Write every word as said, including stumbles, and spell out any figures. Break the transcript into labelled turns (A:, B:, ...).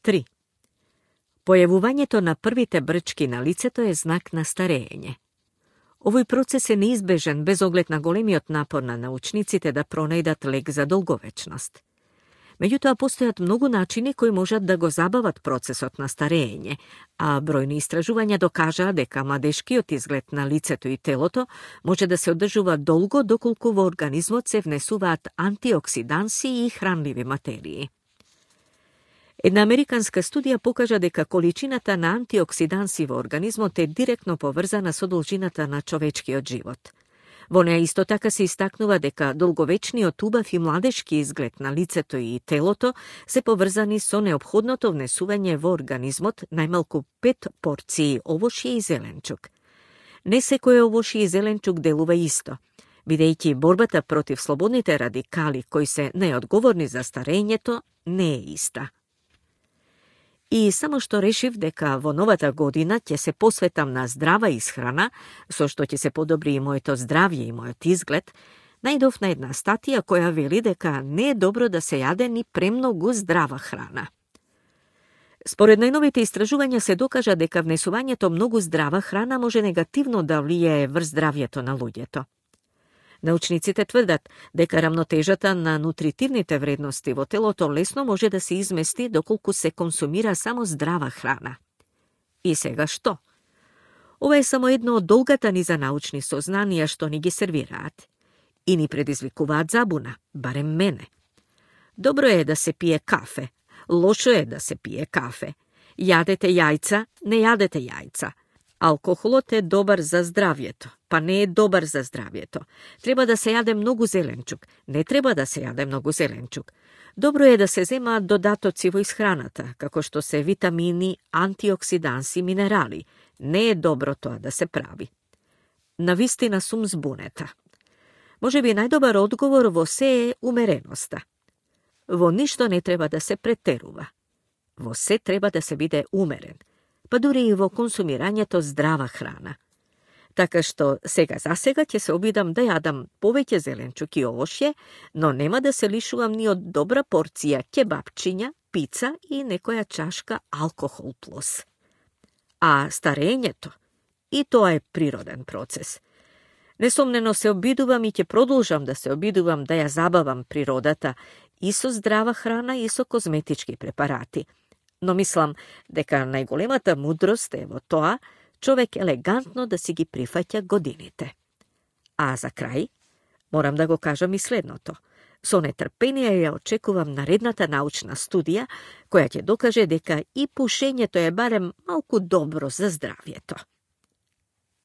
A: три. Појавувањето на првите брчки на лицето е знак на старење. Овој процес е неизбежен без оглед на големиот напор на научниците да пронајдат лек за долговечност. Меѓутоа, постојат многу начини кои можат да го забават процесот на старење, а бројни истражувања докажаа дека младешкиот изглед на лицето и телото може да се одржува долго доколку во организмот се внесуваат антиоксиданси и хранливи материи. Една американска студија покажа дека количината на антиоксиданси во организмот е директно поврзана со должината на човечкиот живот. Во неа исто така се истакнува дека долговечниот убав и младешки изглед на лицето и телото се поврзани со неопходното внесување во организмот најмалку пет порции овошје и зеленчук. Не секој овошје и зеленчук делува исто, бидејќи борбата против слободните радикали кои се неодговорни за старењето не е иста. И само што решив дека во новата година ќе се посветам на здрава исхрана, со што ќе се подобри и моето здравје и мојот изглед, најдов на една статија која вели дека не е добро да се јаде ни премногу здрава храна. Според најновите истражувања се докажа дека внесувањето многу здрава храна може негативно да влијае врз здравјето на луѓето. Научниците тврдат дека рамнотежата на нутритивните вредности во телото лесно може да се измести доколку се консумира само здрава храна. И сега што? Ова е само едно од долгата низа научни сознанија што ни ги сервираат. И ни предизвикуваат забуна, барем мене. Добро е да се пие кафе, лошо е да се пие кафе. Јадете јајца, не јадете јајца. Алкохолот е добар за здравјето, па не е добар за здравјето. Треба да се јаде многу зеленчук, не треба да се јаде многу зеленчук. Добро е да се земаат додатоци во исхраната, како што се витамини, антиоксиданси, минерали. Не е добро тоа да се прави. Навистина сум збунета. Може би најдобар одговор во се е умереноста. Во ништо не треба да се претерува. Во се треба да се биде умерен, па дури и во консумирањето здрава храна. Така што сега за сега ќе се обидам да јадам повеќе зеленчук и овошје, но нема да се лишувам ни од добра порција кебапчиња, пица и некоја чашка алкохол плюс. А старењето, и тоа е природен процес. Несомнено се обидувам и ќе продолжам да се обидувам да ја забавам природата и со здрава храна и со козметички препарати. Но мислам дека најголемата мудрост е во тоа човек елегантно да си ги прифаќа годините. А за крај, морам да го кажам и следното. Со нетрпение ја очекувам наредната научна студија, која ќе докаже дека и пушењето е барем малку добро за здравјето.